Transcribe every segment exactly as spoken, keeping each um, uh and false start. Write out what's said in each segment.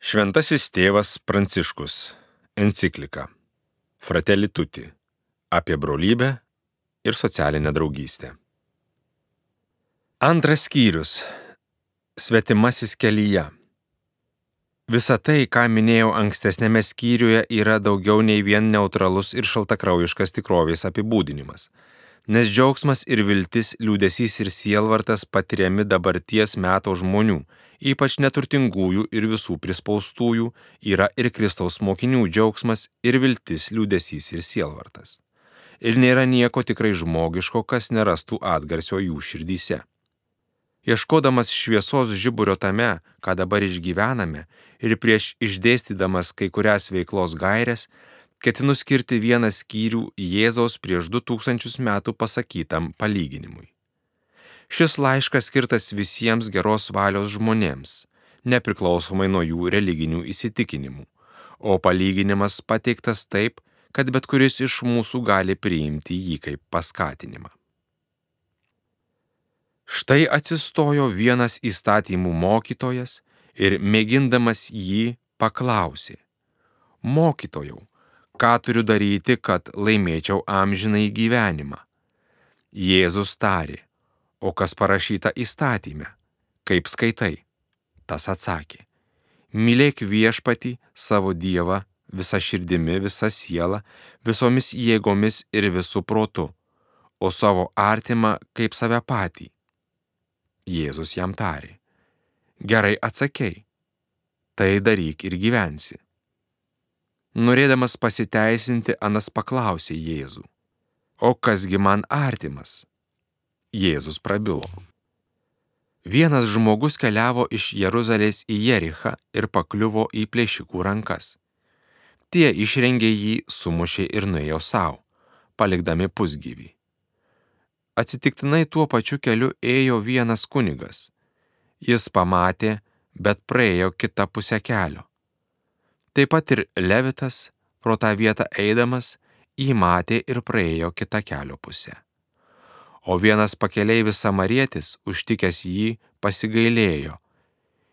Šventasis tėvas Pranciškus. Enciklika Fratelli Tutti apie brolybę ir socialinę draugystę. Antras skyrius. Svetimasis kelyje. Visa tai, ką minėjau ankstesnėme skyriuje, yra daugiau nei vien neutralus ir šaltakraujiškas tikrovės apibūdinimas, nes džiaugsmas ir viltis, liūdesys ir sielvartas patiriami dabarties meto žmonių, ypač neturtingųjų ir visų prispaustųjų, yra ir Kristaus mokinių džiaugsmas ir viltis, liūdesys ir sielvartas. Ir nėra nieko tikrai žmogiško, kas nerastų atgarsio jų širdyse. Ieškodamas šviesos žiburio tame, ką dabar išgyvename, ir prieš išdėstydamas kai kurias veiklos gaires, ketinu skirti vieną skyrių Jėzaus prieš du tūkstančius metų pasakytam palyginimui. Šis laiškas skirtas visiems geros valios žmonėms, nepriklausomai nuo jų religinių įsitikinimų, o palyginimas pateiktas taip, kad bet kuris iš mūsų gali priimti jį kaip paskatinimą. Štai atsistojo vienas įstatymų mokytojas ir mėgindamas jį paklausė: Mokytojau, ką turiu daryti, kad laimėčiau amžinąjį gyvenimą? Jėzus tarė: O kas parašyta įstatyme? Kaip skaitai? Tas atsakė: Mylėk viešpatį savo Dievą visa širdimi, visa siela, visomis jėgomis ir visų protu, o savo artimą kaip save patį. Jėzus jam tarė: Gerai atsakei, tai daryk ir gyvensi. Norėdamas pasiteisinti, anas paklausė Jėzų: O kasgi man artimas? Jėzus prabilo: Vienas žmogus keliavo iš Jeruzalės į Jerichą ir pakliuvo į plėšikų rankas. Tie išrengė jį, sumušė ir nuėjo savo, palikdami pusgyvį. Atsitiktinai tuo pačiu keliu ėjo vienas kunigas. Jis pamatė, bet praėjo kitą pusę kelio. Taip pat ir Levitas, pro tą vietą eidamas, jį matė ir praėjo kitą kelio pusę. O vienas pakeleivis samarietis, užtikęs jį, pasigailėjo.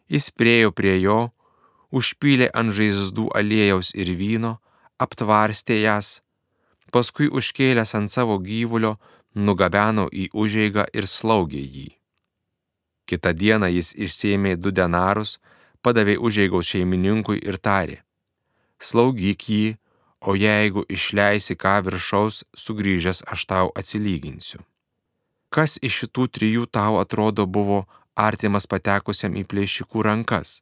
Jis priėjo prie jo, užpylė ant žaizdų aliejaus ir vyno, aptvarstė jas, paskui užkėlęs ant savo gyvulio, nugabeno į užeigą ir slaugė jį. Kitą dieną jis išsėmė du denarus, padavė užeigos šeimininkui ir tarė: Slaugyk jį, o jeigu išleisi ką viršaus, sugrįžęs aš tau atsilyginsiu. Kas iš šitų trijų tau atrodo buvo artimas patekusiam į plėšikų rankas?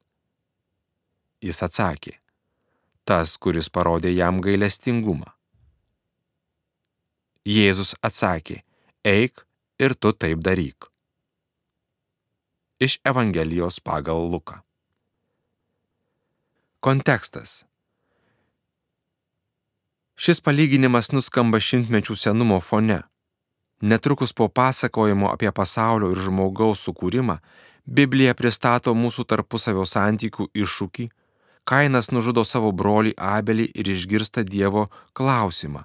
Jis atsakė: Tas, kuris parodė jam gailestingumą. Jėzus atsakė: Eik ir tu taip daryk. Iš Evangelijos pagal Luką. Kontekstas. Šis palyginimas nuskamba šimtmečių senumo fone. Netrukus po pasakojimo apie pasaulio ir žmogaus sukūrimą, Biblija pristato mūsų tarpusavio santykių iššūkį. Kainas nužudo savo brolį Abelį ir išgirsta Dievo klausimą: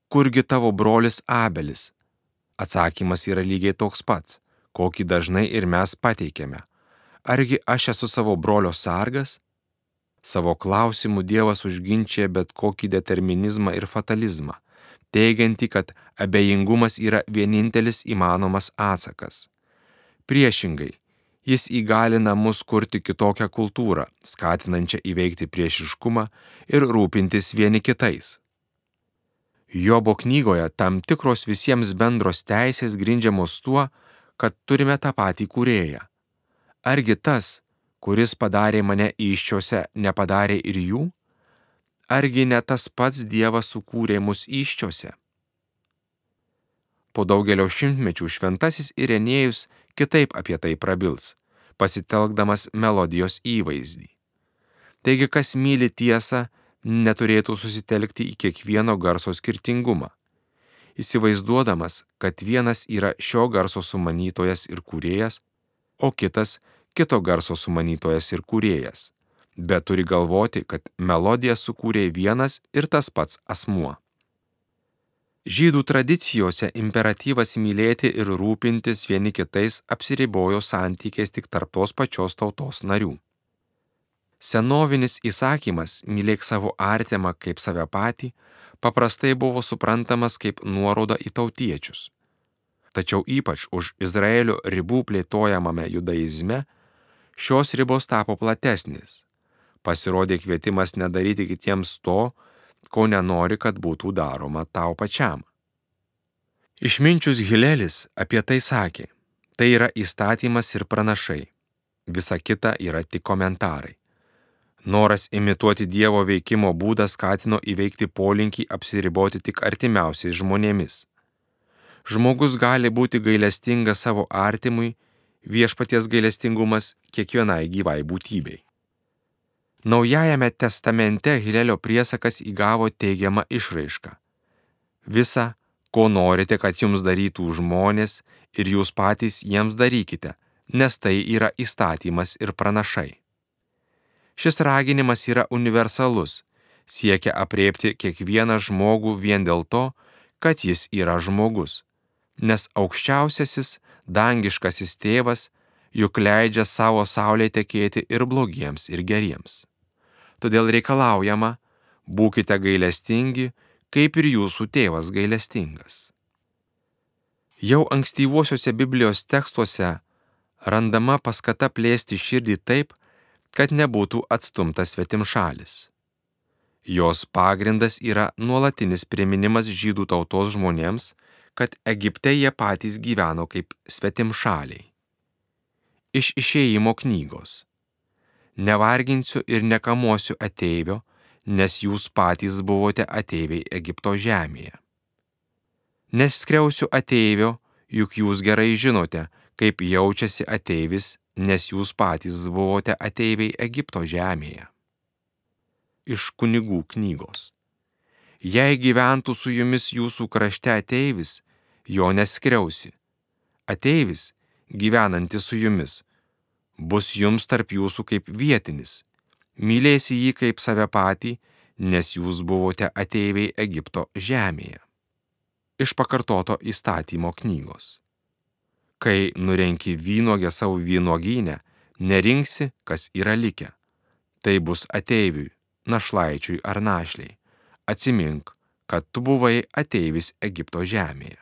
Kurgi tavo brolis Abelis? Atsakymas yra lygiai toks pats, kokį dažnai ir mes pateikiame: Argi aš esu savo brolio sargas? Savo klausimu Dievas užginčia bet kokį determinizmą ir fatalizmą, teigiantį, kad abejingumas yra vienintelis įmanomas atsakas. Priešingai, jis įgalina mus kurti kitokią kultūrą, skatinančią įveikti priešiškumą ir rūpintis vieni kitais. Jobo knygoje tam tikros visiems bendros teisės grindžiamos tuo, kad turime tą patį kūrėją. Argi tas, kuris padarė mane įsčiose, nepadarė ir jų? Argi ne tas pats Dievas sukūrė mus įsčiose? Po daugelio šimtmečių šventasis Irenėjus kitaip apie tai prabils, pasitelkdamas melodijos įvaizdį. Taigi, kas myli tiesą, neturėtų susitelkti į kiekvieno garso skirtingumą, įsivaizduodamas, kad vienas yra šio garso sumanytojas ir kūrėjas, o kitas kito garso sumanytojas ir kūrėjas, bet turi galvoti, kad melodiją sukūrė vienas ir tas pats asmuo. Žydų tradicijose imperatyvas mylėti ir rūpintis vieni kitais apsiribojo santykiais tik tarp tos pačios tautos narių. Senovinis įsakymas mylėk savo artimą kaip save patį paprastai buvo suprantamas kaip nuoroda į tautiečius. Tačiau ypač už Izraelio ribų plėtojamame judaizme šios ribos tapo platesnės. Pasirodė kvietimas nedaryti kitiems to, ko nenori, kad būtų daroma tau pačiam. Išminčius Hilelis apie tai sakė: tai yra įstatymas ir pranašai, visa kita yra tik komentarai. Noras imituoti Dievo veikimo būdą skatino įveikti polinkį apsiriboti tik artimiausiais žmonėmis. Žmogus gali būti gailestingas savo artimui, viešpaties gailestingumas kiekvienai gyvai būtybei. Naujajame testamente Hilelio priesakas įgavo teigiamą išraišką. Visa, ko norite, kad jums darytų žmonės, ir jūs patys jiems darykite, nes tai yra įstatymas ir pranašai. Šis raginimas yra universalus, siekia apriepti kiekvieną žmogų vien dėl to, kad jis yra žmogus, nes aukščiausiasis dangiškasis tėvas juk leidžia savo saulei tekėti ir blogiems, ir geriems. Todėl reikalaujama: būkite gailestingi, kaip ir jūsų tėvas gailestingas. Jau ankstyvuosiuose Biblijos tekstuose randama paskata plėsti širdį taip, kad nebūtų atstumtas svetimšalis. Jos pagrindas yra nuolatinis priminimas žydų tautos žmonėms, kad Egipte jie patys gyveno kaip svetimšaliai. Iš Išėjimo knygos: nevarginsiu ir nekamuosiu ateivio, nes jūs patys buvote ateiviai Egipto žemėje. Neskriausiu ateivio, juk jūs gerai žinote, kaip jaučiasi ateivis, nes jūs patys buvote ateiviai Egipto žemėje. Iš Kunigų knygos: jei gyventų su jumis jūsų krašte ateivis, jo neskriausi. Ateivis, gyvenantis su jumis, bus jums tarp jūsų kaip vietinis, mylėsi jį kaip save patį, nes jūs buvote ateiviai Egipto žemėje. Iš Pakartoto įstatymo knygos: kai nurenki vynuogę savo vynuogynę, nerinksi, kas yra likę. Tai bus ateiviui, našlaičiui ar našliai. Atsimink, kad tu buvai ateivis Egipto žemėje.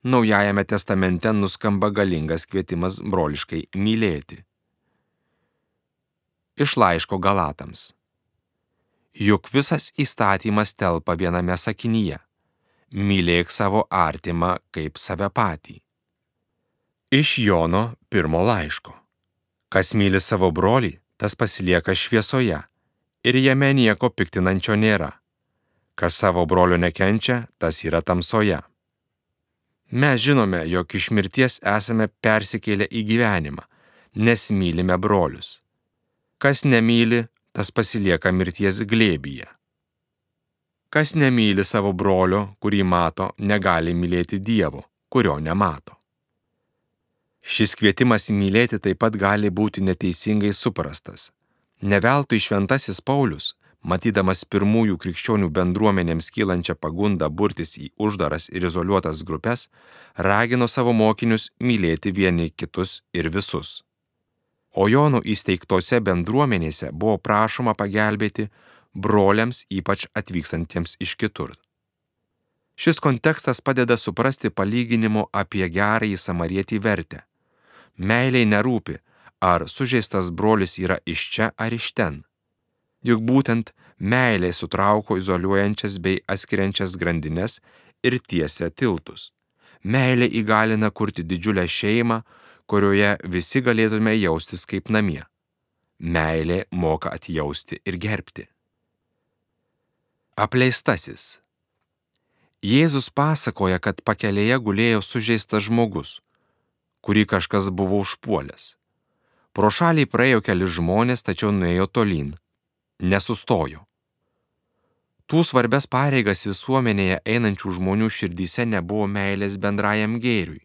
Naujajame testamente nuskamba galingas kvietimas broliškai mylėti. Iš laiško Galatams: juk visas įstatymas telpa viename sakinyje: mylėk savo artimą kaip save patį. Iš Jono pirmo laiško: kas myli savo brolį, tas pasilieka šviesoje, ir jame nieko piktinančio nėra. Kas savo brolio nekenčia, tas yra tamsoje. Mes žinome, jog iš mirties esame persikėlę į gyvenimą, nes mylime brolius. Kas nemyli, tas pasilieka mirties glėbyje. Kas nemyli savo brolio, kurį mato, negali mylėti Dievo, kurio nemato. Šis kvietimas mylėti taip pat gali būti neteisingai suprastas. Ne veltui šventasis Paulius, matydamas pirmųjų krikščionių bendruomenėms kylančią pagundą burtis į uždaras ir izoliuotas grupes, ragino savo mokinius mylėti vieni kitus ir visus. O Jono įsteigtose bendruomenėse buvo prašoma pagelbėti broliams, ypač atvykstantiems iš kitur. Šis kontekstas padeda suprasti palyginimo apie gerąjį samarietį vertę. Meilei nerūpi, ar sužeistas brolis yra iš čia ar iš ten. Juk būtent meilė sutrauko izoliuojančias bei atskiriančias grandines ir tiesia tiltus. Meilė įgalina kurti didžiulę šeimą, kurioje visi galėtume jaustis kaip namie. Meilė moka atjausti ir gerbti. Apleistasis. Jėzus pasakoja, kad pakelėje gulėjo sužeistas žmogus, kurį kažkas buvo užpuolęs. Pro šalį praėjo keli žmonės, tačiau nuėjo tolyn, nesustojo. Tų svarbias pareigas visuomenėje einančių žmonių širdyse nebuvo meilės bendrajam gėriui.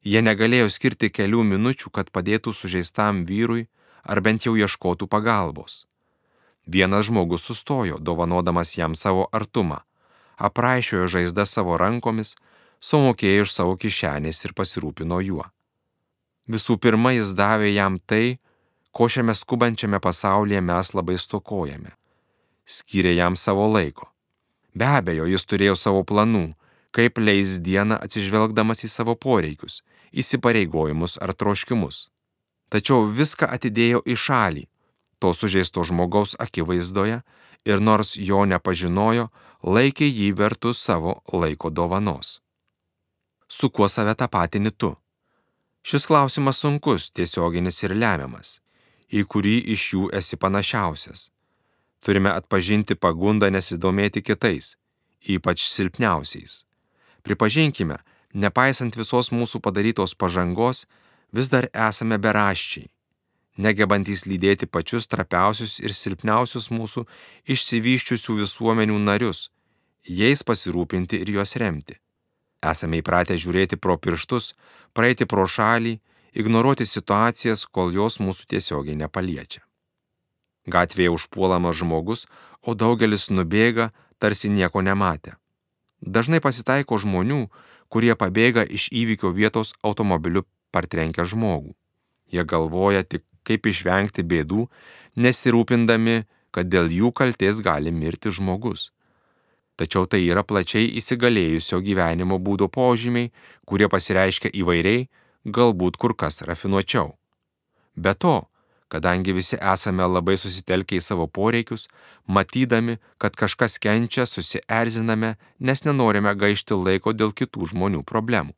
Jie negalėjo skirti kelių minučių, kad padėtų sužeistam vyrui ar bent jau ieškotų pagalbos. Vienas žmogus sustojo, dovanodamas jam savo artumą, apraišiojo žaizdą savo rankomis, sumokėjo iš savo kišenės ir pasirūpino juo. Visų pirma, jis davė jam tai, ko šiame skubančiame pasaulyje mes labai stokojame. Skyrė jam savo laiko. Be abejo, jis turėjo savo planų, kaip leis dieną atsižvelgdamas į savo poreikius, įsipareigojimus ar troškimus. Tačiau viską atidėjo į šalį, to sužeisto žmogaus akivaizdoje, ir nors jo nepažinojo, laikė jį vertus savo laiko dovanos. Su kuo save tapatini tu? Šis klausimas sunkus, tiesioginis ir lemiamas, į kurį iš jų esi panašiausias. Turime atpažinti pagundą nesidomėti kitais, ypač silpniausiais. Pripažinkime, nepaisant visos mūsų padarytos pažangos, vis dar esame beraščiai, negebantys lydėti pačius trapiausius ir silpniausius mūsų išsivyščiusių visuomenių narius, jais pasirūpinti ir juos remti. Esame įpratę žiūrėti pro pirštus, praeiti pro šalį, ignoruoti situacijas, kol jos mūsų tiesiogiai nepaliečia. Gatvėje užpuolamas žmogus, o daugelis nubėga, tarsi nieko nematę. Dažnai pasitaiko žmonių, kurie pabėga iš įvykio vietos automobiliu partrenkę žmogų. Jie galvoja tik, kaip išvengti bėdų, nesirūpindami, kad dėl jų kaltės gali mirti žmogus. Tačiau tai yra plačiai įsigalėjusio gyvenimo būdo požymiai, kurie pasireiškia įvairiai, galbūt kur kas rafinuočiau. Be to, kadangi visi esame labai susitelkę į savo poreikius, matydami, kad kažkas kenčia, susierziname, nes nenorime gaišti laiko dėl kitų žmonių problemų.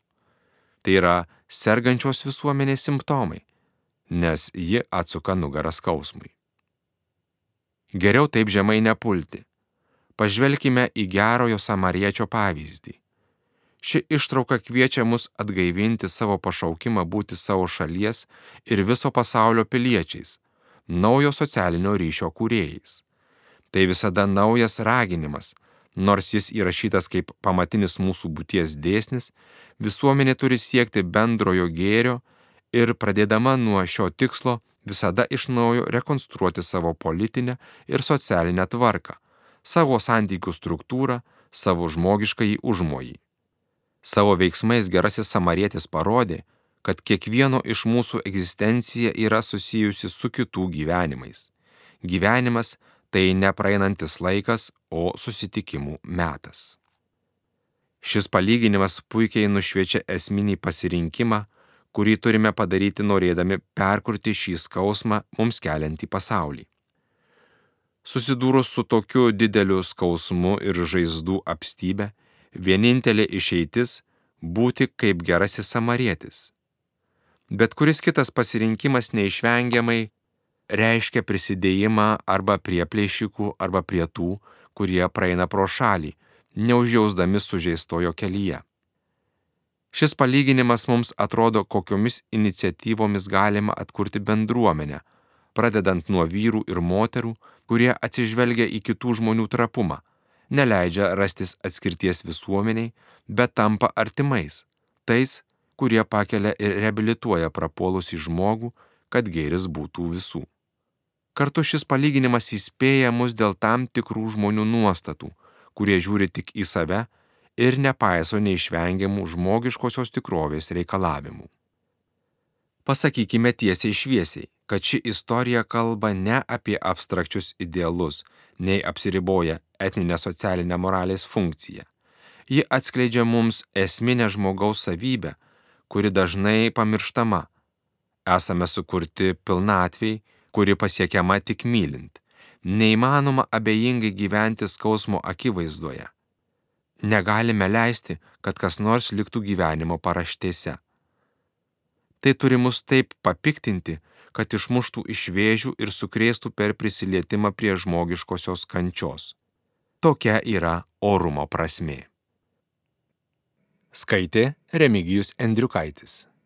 Tai yra sergančios visuomenės simptomai, nes ji atsuka nugarą skausmui. Geriau taip žemai nepulti. Pažvelkime į gerojo samariečio pavyzdį. Ši ištrauka kviečia mus atgaivinti savo pašaukimą būti savo šalies ir viso pasaulio piliečiais, naujo socialinio ryšio kūrėjais. Tai visada naujas raginimas, nors jis įrašytas kaip pamatinis mūsų būties dėsnis, visuomenė turi siekti bendrojo gėrio ir pradėdama nuo šio tikslo visada iš naujo rekonstruoti savo politinę ir socialinę tvarką, savo santykių struktūrą, savo žmogiškąjį užmojį. Savo veiksmais gerasis samarietis parodė, kad kiekvieno iš mūsų egzistencija yra susijusi su kitų gyvenimais. Gyvenimas tai nepraeinantis laikas, o susitikimų metas. Šis palyginimas puikiai nušviečia esminį pasirinkimą, kurį turime padaryti norėdami perkurti šį skausmą mums keliantį pasaulį. Susidūrus su tokiu dideliu skausmu ir žaizdų apstybe, vienintelė išeitis būti kaip gerasis samarietis. Bet kuris kitas pasirinkimas neišvengiamai reiškia prisidėjimą arba prie plėšikų, arba prie tų, kurie praeina pro šalį, neužjausdami sužeistojo kelyje. Šis palyginimas mums atrodo, kokiomis iniciatyvomis galima atkurti bendruomenę, pradedant nuo vyrų ir moterų, kurie atsižvelgia į kitų žmonių trapumą, neleidžia rastis atskirties visuomeniai, bet tampa artimais, tais, kurie pakelia ir reabilituoja prapuolusį žmogų, kad gėris būtų visų. Kartu šis palyginimas įspėja mus dėl tam tikrų žmonių nuostatų, kurie žiūri tik į save ir nepaiso neišvengiamų žmogiškosios tikrovės reikalavimų. Pasakykime tiesiai šviesiai, kad ši istorija kalba ne apie abstrakčius idealus, nei apsiriboja etninę socialinę moralės funkciją. Ji atskleidžia mums esminę žmogaus savybę, kuri dažnai pamirštama. Esame sukurti pilnatviai, kuri pasiekiama tik mylint. Neįmanoma abejingai gyventi skausmo akivaizdoje. Negalime leisti, kad kas nors liktų gyvenimo paraštėse. Tai turi mus taip papiktinti, kad išmuštų iš vėžių ir sukrėstų per prisilietimą prie žmogiškosios kančios. Tokia yra orumo prasmė. Skaitė Remigijus Endriukaitis.